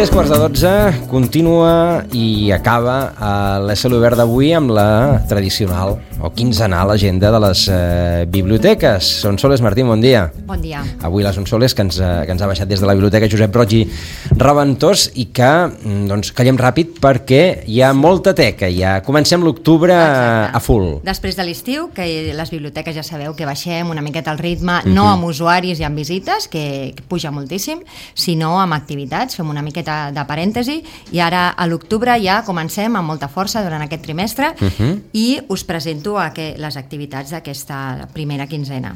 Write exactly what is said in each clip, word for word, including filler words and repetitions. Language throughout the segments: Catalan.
Tres quarts de dotze, continua i acaba a l'E S L Obert d'avui amb la tradicional o quinzenal agenda de les eh, biblioteques. Sonsoles Martín, bon dia. Bon dia. Avui la Sonsoles, que ens, que ens ha baixat des de la biblioteca Josep Roig i Raventós, i que doncs, callem ràpid perquè hi ha molta teca. Ja comencem l'octubre a full. Després de l'estiu, que les biblioteques ja sabeu que baixem una miqueta el ritme, uh-huh. no amb usuaris i amb visites, que, que puja moltíssim, sinó amb activitats, fem una miqueta de parèntesi, i ara a l'octubre ja comencem amb molta força durant aquest trimestre uh-huh. i us presento a que, les activitats d'aquesta primera quinzena.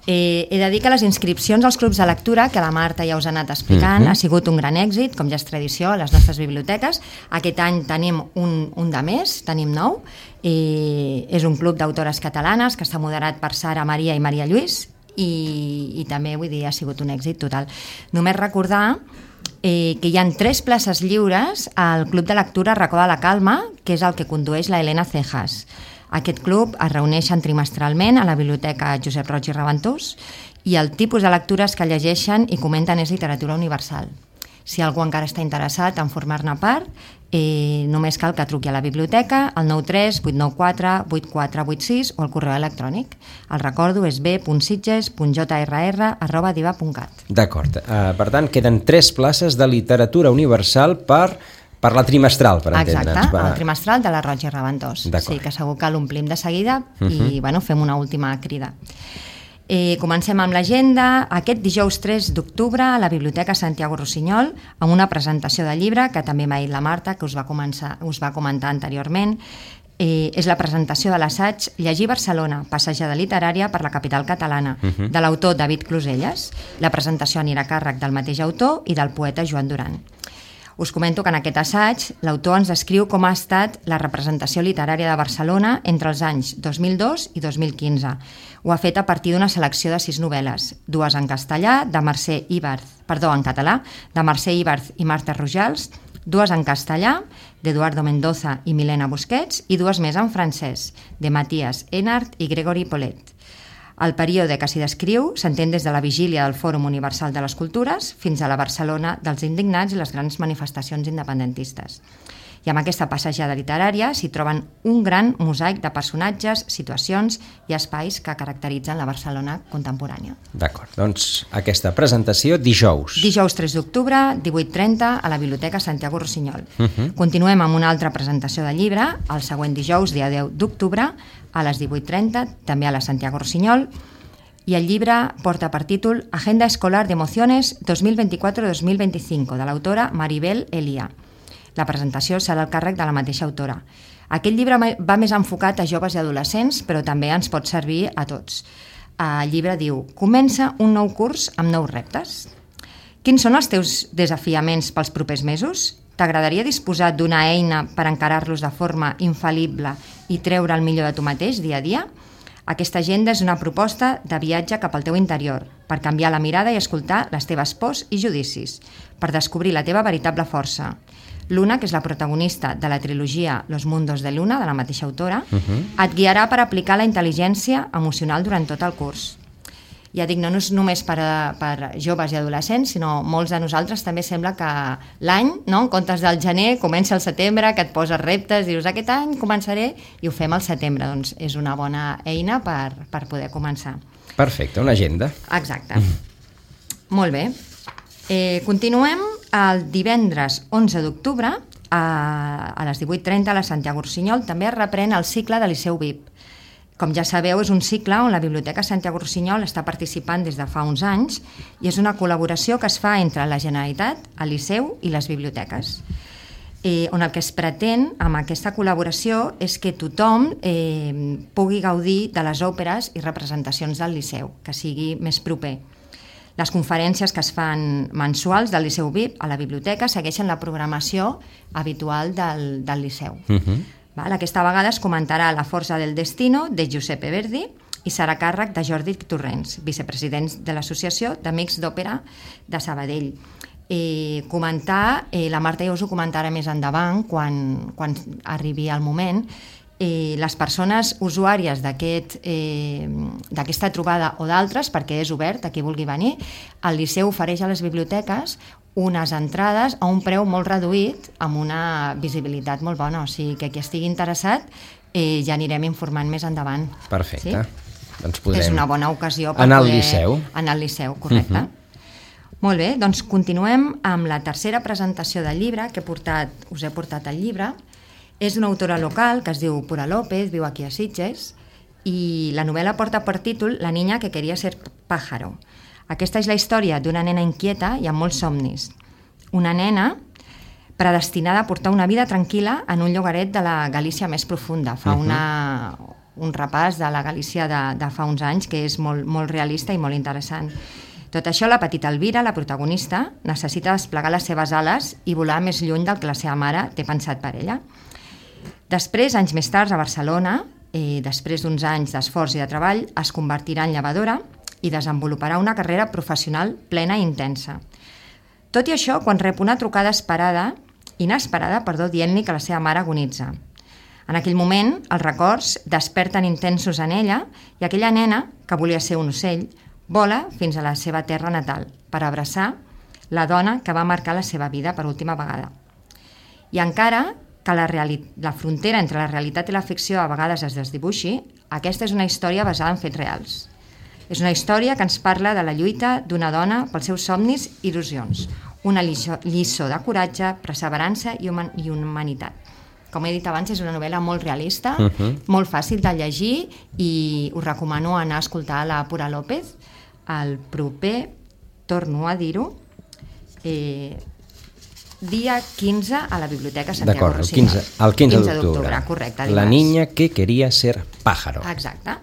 Eh, he de dir que les inscripcions als clubs de lectura, que la Marta ja us ha anat explicant, uh-huh. ha sigut un gran èxit, com ja és tradició a les nostres biblioteques. Aquest any tenim un, un de més, tenim nou. Eh, és un club d'autores catalanes que està moderat per Sara Maria i Maria Lluís, i, i també, vull dir, ha sigut un èxit total. Només recordar eh, que hi ha tres places lliures al Club de Lectura Racó de la Calma, que és el que condueix la Helena Cejas. Aquest club es reuneixen trimestralment a la biblioteca Josep Roig i Raventós, i el tipus de lectures que llegeixen i comenten és literatura universal. Si algú encara està interessat en formar-ne part, eh, només cal que truqui a la biblioteca al nou tres vuit nou quatre vuit quatre vuit sis o al correu electrònic. El recordo és b punt sitges punt j r r arroba diva punt cat. D'acord. Uh, per tant, queden tres places de literatura universal per... Per la trimestral, per entendre'ns. Exacte, per... el trimestral de la Roig i Raventós. Sí, que segur que l'omplim de seguida uh-huh. i bueno, fem una última crida. Eh, comencem amb l'agenda. Aquest dijous tres d'octubre a la Biblioteca Santiago Rossinyol, amb una presentació de llibre que també m'ha dit la Marta, que us va, començar, us va comentar anteriorment. Eh, és la presentació de l'assaig Llegir Barcelona, passejada literària per la capital catalana, uh-huh. de l'autor David Closelles. La presentació anirà a càrrec del mateix autor i del poeta Joan Duran. Us comento que en aquest assaig l'autor ens descriu com ha estat la representació literària de Barcelona entre els anys dos mil dos i dos mil quinze. Ho ha fet a partir d'una selecció de sis novel·les, dues en castellà, de Mercè Ibarz, perdó, en català, de Mercè Ibarz i Marta Rojals, dues en castellà, d'Eduardo Mendoza i Milena Busquets, i dues més en francès, de Matías Enart i Gregory Polet. El període que s'hi descriu s'entén des de la vigília del Fòrum Universal de les Cultures fins a la Barcelona dels indignats i les grans manifestacions independentistes. I amb aquesta passejada literària s'hi troben un gran mosaic de personatges, situacions i espais que caracteritzen la Barcelona contemporània. D'acord, doncs aquesta presentació dijous. Dijous tres d'octubre, divuit trenta, a la Biblioteca Santiago Rossinyol. Uh-huh. Continuem amb una altra presentació de llibre, el següent dijous, dia deu d'octubre, a les divuit trenta, també a la Santiago Rossinyol, i el llibre porta per títol Agenda Escolar de Emociones dos mil vint-i-quatre dos mil vint-i-cinc, de l'autora Maribel Elia. La presentació serà al càrrec de la mateixa autora. Aquest llibre va més enfocat a joves i adolescents, però també ens pot servir a tots. El llibre diu: Comença un nou curs amb nous reptes. Quins són els teus desafiaments pels propers mesos? T'agradaria disposar d'una eina per encarar-los de forma infal·lible i treure el millor de tu mateix dia a dia? Aquesta agenda és una proposta de viatge cap al teu interior, per canviar la mirada i escoltar les teves pors i judicis, per descobrir la teva veritable força. Luna, que és la protagonista de la trilogia Los Mundos de Luna, de la mateixa autora, uh-huh. et guiarà per aplicar la intel·ligència emocional durant tot el curs. Ja dic, no és només per, a, per joves i adolescents, sinó molts de nosaltres també sembla que l'any, no? En comptes del gener, comença el setembre, que et poses reptes, dius, aquest any començaré, i ho fem al setembre. Doncs és una bona eina per, per poder començar. Perfecte, una agenda. Exacte. Mm. Molt bé. Eh, continuem el divendres onze d'octubre a, a les divuit trenta a la Santiago Rossinyol. També es reprèn el cicle de Liceu V I P. Com ja sabeu, és un cicle on la Biblioteca Santiago Rossinyol està participant des de fa uns anys i és una col·laboració que es fa entre la Generalitat, el Liceu i les biblioteques. Eh, on el que es pretén amb aquesta col·laboració és que tothom eh, pugui gaudir de les òperes i representacions del Liceu, que sigui més proper. Les conferències que es fan mensuals del Liceu V I P a la biblioteca segueixen la programació habitual del, del Liceu. Uh-huh. Val? Aquesta vegada es comentarà La força del destino, de Giuseppe Verdi, i serà a càrrec de Jordi Torrents, vicepresident de l'Associació d'Amics d'Òpera de Sabadell. Eh, comentar, eh, la Marta ja us ho comentarà més endavant, quan, quan arribi el moment, eh, les persones usuàries d'aquest, eh, d'aquesta trobada o d'altres, perquè és obert a qui vulgui venir, el Liceu ofereix a les biblioteques unes entrades a un preu molt reduït amb una visibilitat molt bona, o sigui que qui estigui interessat eh, ja anirem informant més endavant. Perfecte. Sí? Doncs podrem... És una bona ocasió per anar al poder... Liceu. Anar al Liceu, correcte. Uh -huh. Molt bé, doncs continuem amb la tercera presentació del llibre que he portat, us he portat el llibre. És d'una autora local que es diu Pura López, viu aquí a Sitges, i la novel·la porta per títol La niña que quería ser pájaro. Aquesta és la història d'una nena inquieta i amb molts somnis. Una nena predestinada a portar una vida tranquil·la en un llogaret de la Galícia més profunda. Fa una, un repàs de la Galícia de, de fa uns anys que és molt, molt realista i molt interessant. Tot això, la petita Elvira, la protagonista, necessita desplegar les seves ales i volar més lluny del que la seva mare té pensat per ella. Després, anys més tard, a Barcelona, eh, després d'uns anys d'esforç i de treball, es convertirà en llevadora i desenvoluparà una carrera professional plena i intensa. Tot i això, quan rep una trucada esperada, inesperada, perdó, dient-li que la seva mare agonitza. En aquell moment, els records desperten intensos en ella i aquella nena, que volia ser un ocell, vola fins a la seva terra natal per abraçar la dona que va marcar la seva vida per última vegada. I encara que la, la frontera entre la realitat i la ficció a vegades es desdibuixi, aquesta és una història basada en fets reals. És una història que ens parla de la lluita d'una dona pels seus somnis i il·lusions, una lliçó, lliçó de coratge, perseverança i, human, i humanitat. Com he dit abans, és una novel·la molt realista, uh -huh. molt fàcil de llegir i us recomano anar a escoltar la Pura López el proper, torno a dir-ho, eh, dia quinze a la Biblioteca Santiago Rossinyol. D'acord, el quinze d'octubre. Correcte. La niña que quería ser pájaro. Exacte.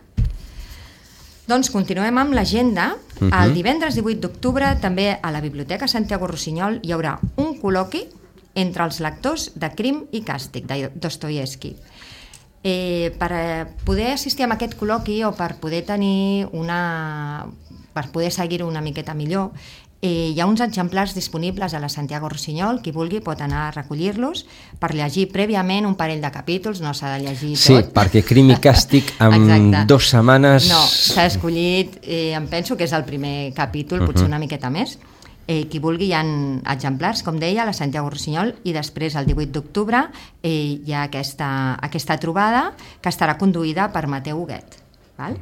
Doncs continuem amb l'agenda. Uh -huh. El divendres divuit d'octubre, també a la Biblioteca Santiago Rossinyol, hi haurà un col·loqui entre els lectors de Crim i Càstig, de Dostoievski. Eh, per poder assistir a aquest col·loqui o per poder tenir una... per poder seguir-ho una miqueta millor, eh, hi ha uns exemplars disponibles a la Santiago Rossinyol, qui vulgui pot anar a recollir-los per llegir prèviament un parell de capítols, no s'ha de llegir tot. Sí, perquè Crim i Càstig en dues setmanes... No, s'ha escollit, eh, em penso que és el primer capítol, potser uh -huh. una miqueta més. Eh, qui vulgui, hi ha exemplars, com deia, a la Santiago Rossinyol, i després, el divuit d'octubre, eh, hi ha aquesta, aquesta trobada que estarà conduïda per Mateu Huguet. Val?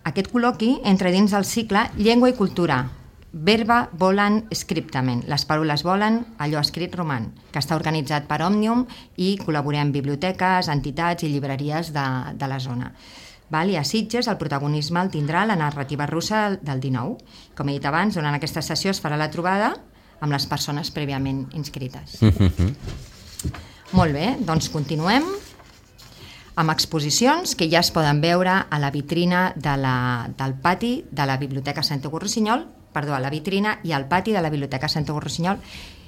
Aquest col·loqui entra dins del cicle Llengua i Cultura, Verba volant scriptament, les paraules volen, allò escrit roman, que està organitzat per Òmnium i col·laborem biblioteques, entitats i llibreries de, de la zona. Val? I a Sitges el protagonisme el tindrà la narrativa russa del dinou. Com he dit abans, durant aquesta sessió es farà la trobada amb les persones prèviament inscrites. Mm-hmm. Molt bé, doncs continuem amb exposicions que ja es poden veure a la vitrina de la, del pati de la Biblioteca Santiago Rossinyol, perdó, a la vitrina i al pati de la Biblioteca Santiago Rossinyol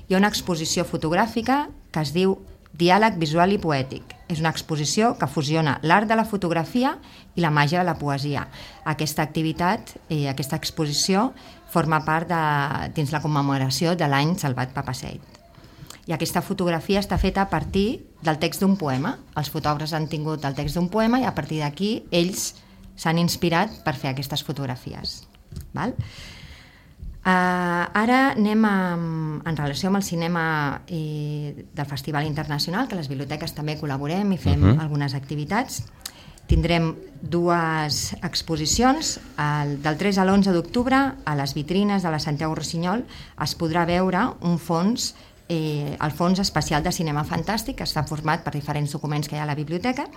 hi ha una exposició fotogràfica que es diu Diàleg visual i poètic. És una exposició que fusiona l'art de la fotografia i la màgia de la poesia. Aquesta activitat, eh, aquesta exposició, forma part de, dins la commemoració de l'any Salvat Papasseit. I aquesta fotografia està feta a partir del text d'un poema. Els fotògrafs han tingut el text d'un poema i a partir d'aquí ells s'han inspirat per fer aquestes fotografies. Val? Uh, ara anem a, en relació amb el cinema eh, del Festival Internacional, que les biblioteques també col·laborem i fem uh-huh. algunes activitats. Tindrem dues exposicions. El, del tres a l'onze d'octubre, a les vitrines de la Santiago Rossinyol, es podrà veure un fons, eh, el fons especial de cinema fantàstic, que està format per diferents documents que hi ha a la biblioteca,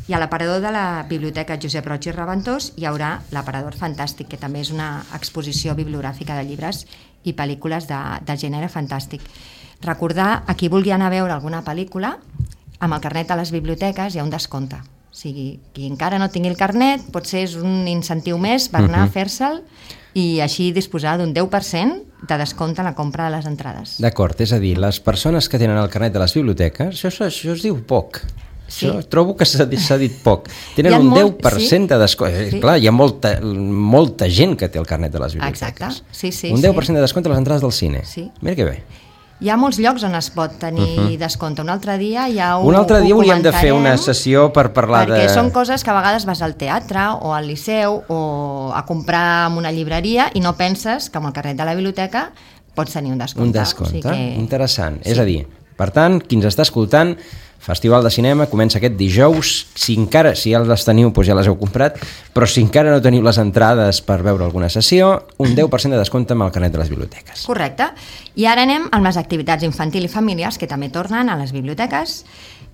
i a l'aparador de la Biblioteca Josep Roig i Reventós hi haurà l'aparador fantàstic, que també és una exposició bibliogràfica de llibres i pel·lícules de, de gènere fantàstic. Recordar, a qui vulgui anar a veure alguna pel·lícula, amb el carnet a les biblioteques hi ha un descompte. O sigui, qui encara no tingui el carnet, potser és un incentiu més per anar uh-huh. a fer-se'l i així disposar d'un deu per cent de descompte en la compra de les entrades. D'acord, és a dir, les persones que tenen el carnet de les biblioteques, això, això es diu poc. Sí. Això, trobo que s'ha dit, s'ha dit poc. Tenen un molt, deu per cent sí? de descompte. Sí. Clar, hi ha molta, molta gent que té el carnet de les biblioteques. Exacte, sí, sí. Un deu per cent sí. de descompte a les entrades del cine. Sí. Mira que bé. Hi ha molts llocs on es pot tenir uh-huh. descompte. Un altre dia ja ho Un altre dia hauríem de fer una sessió per parlar perquè de... Perquè són coses que a vegades vas al teatre o al liceu o a comprar en una llibreria i no penses que amb el carnet de la biblioteca pots tenir un descompte. Un descompte, o sigui que... interessant. Sí. És a dir, per tant, qui ens està escoltant, Festival de Cinema comença aquest dijous. Si encara, si ja les teniu, doncs ja les heu comprat, però si encara no teniu les entrades per veure alguna sessió, un deu per cent de descompte amb el carnet de les biblioteques. Correcte. I ara anem amb les activitats infantil i familiars, que també tornen a les biblioteques.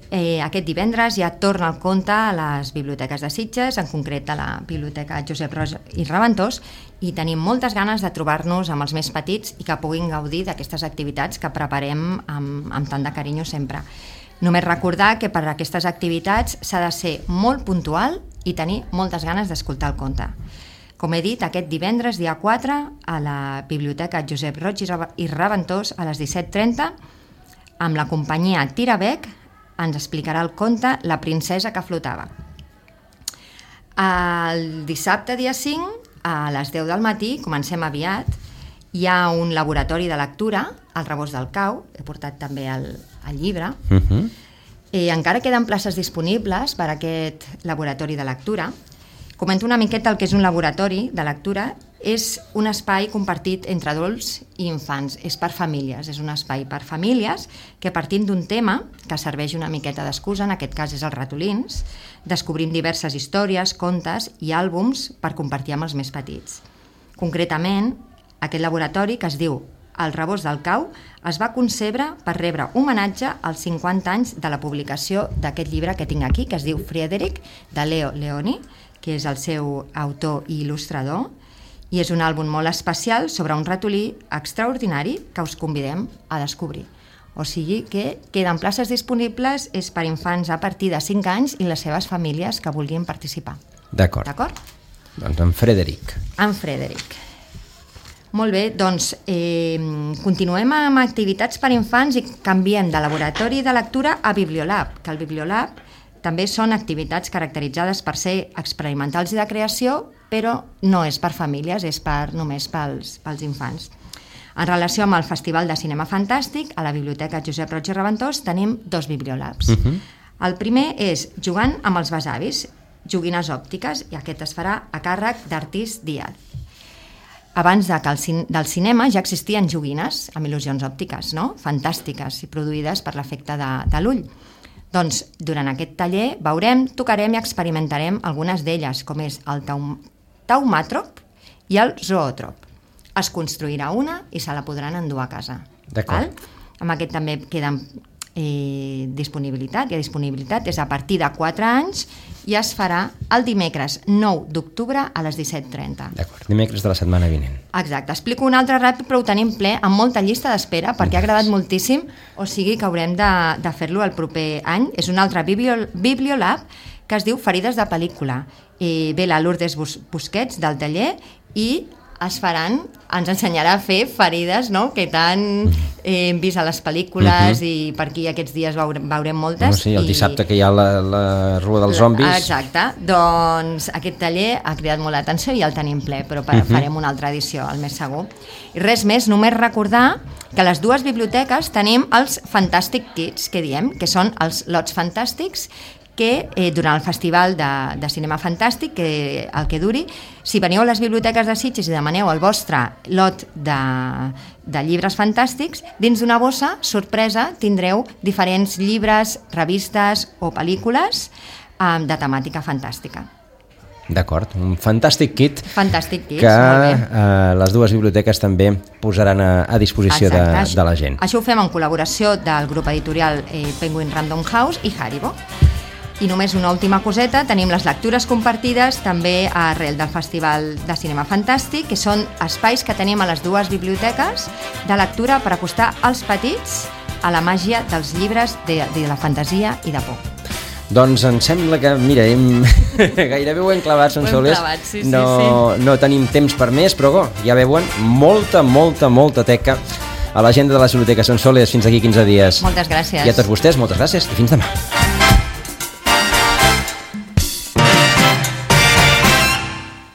Eh, aquest divendres ja torna el conte a les biblioteques de Sitges, en concret a la Biblioteca Josep Roig i Reventós, i tenim moltes ganes de trobar-nos amb els més petits i que puguin gaudir d'aquestes activitats que preparem amb, amb tant de carinyo sempre. Només recordar que per a aquestes activitats s'ha de ser molt puntual i tenir moltes ganes d'escoltar el conte. Com he dit, aquest divendres, dia quatre, a la Biblioteca Josep Roig i Reventós, a les disset trenta, amb la companyia Tirabec, ens explicarà el conte La princesa que flotava. El dissabte, dia cinc, a les deu del matí, comencem aviat, hi ha un laboratori de lectura al Rebost del Cau, he portat també el, el llibre. Uh-huh. eh, encara queden places disponibles per a aquest laboratori de lectura. Comento una miqueta el que és un laboratori de lectura. És un espai compartit entre adults i infants, és per famílies, és un espai per famílies que partint d'un tema que serveix una miqueta d'excusa, en aquest cas és els ratolins, descobrim diverses històries, contes i àlbums per compartir amb els més petits. Concretament, aquest laboratori, que es diu El Rebost del Cau, es va concebre per rebre homenatge als cinquanta anys de la publicació d'aquest llibre que tinc aquí, que es diu Friedrich, de Leo Leoni, que és el seu autor i il·lustrador, i és un àlbum molt especial sobre un ratolí extraordinari que us convidem a descobrir. O sigui que queden places disponibles, és per infants a partir de cinc anys i les seves famílies que vulguin participar. D'acord. D'acord? Doncs en Frederic. En Frederic. Molt bé, doncs eh, continuem amb activitats per infants i canviem de laboratori de lectura a Bibliolab, que el Bibliolab també són activitats caracteritzades per ser experimentals i de creació, però no és per famílies, és per, només pels, pels infants. En relació amb el Festival de Cinema Fantàstic, a la Biblioteca Josep Roig i Reventós tenim dos Bibliolabs. Uh-huh. El primer és Jugant amb els besavis, joguines òptiques, i aquest es farà a càrrec d'Artís Díaz. Abans de que el cin- del cinema ja existien joguines amb il·lusions òptiques, no? Fantàstiques i produïdes per l'efecte de, de l'ull. Doncs durant aquest taller veurem, tocarem i experimentarem algunes d'elles, com és el taum- taumàtrop i el zoòtrop. Es construirà una i se la podran endur a casa. D'acord. Val? Amb aquest també queden eh, disponibilitat, i a disponibilitat és a partir de quatre anys i es farà el dimecres nou d'octubre a les disset trenta. D'acord, dimecres de la setmana vinent. Exacte, explico un altre ràpid, però ho tenim ple, amb molta llista d'espera, perquè ha agradat moltíssim, o sigui que haurem de, de fer-lo el proper any. És un altre biblio, Bibliolab que es diu Ferides de pel·lícula. I ve la Lourdes Bus- Busquets del taller i es faran, ens ensenyarà a fer ferides, no?, que tant eh, hem vist a les pel·lícules, uh-huh. i per aquí aquests dies veurem, veurem moltes. No, sí, el i... dissabte que hi ha la, la rua dels zombis. Exacte, doncs aquest taller ha cridat molt l'atenció i ja el tenim ple, però uh-huh. farem una altra edició, el més segur. I res més, només recordar que a les dues biblioteques tenim els Fantastic Kids, que diem, que són els lots fantàstics, que eh, durant el Festival de, de Cinema Fantàstic, que el que duri, si veniu a les biblioteques de Sitges i demaneu el vostre lot de, de llibres fantàstics, dins d'una bossa, sorpresa, tindreu diferents llibres, revistes o pel·lícules eh, de temàtica fantàstica. D'acord, un Fantastic Kit, Fantastic Kids, que eh, les dues biblioteques també posaran a, a disposició de, de la gent. Això ho fem en col·laboració del grup editorial eh, Penguin Random House i Haribo. I només una última coseta, tenim les lectures compartides també arrel del Festival de Cinema Fantàstic, que són espais que tenim a les dues biblioteques de lectura per acostar els petits a la màgia dels llibres de, de la fantasia i de por. Doncs em sembla que, mira, hem... gairebé ho hem clavat, Sonsoles. Sí, sí, no, sí. no tenim temps per més, però oh, ja veuen, molta, molta, molta teca a l'agenda de les biblioteques. Sonsoles, fins aquí quinze dies. Moltes gràcies. I a tots vostès, moltes gràcies i fins demà.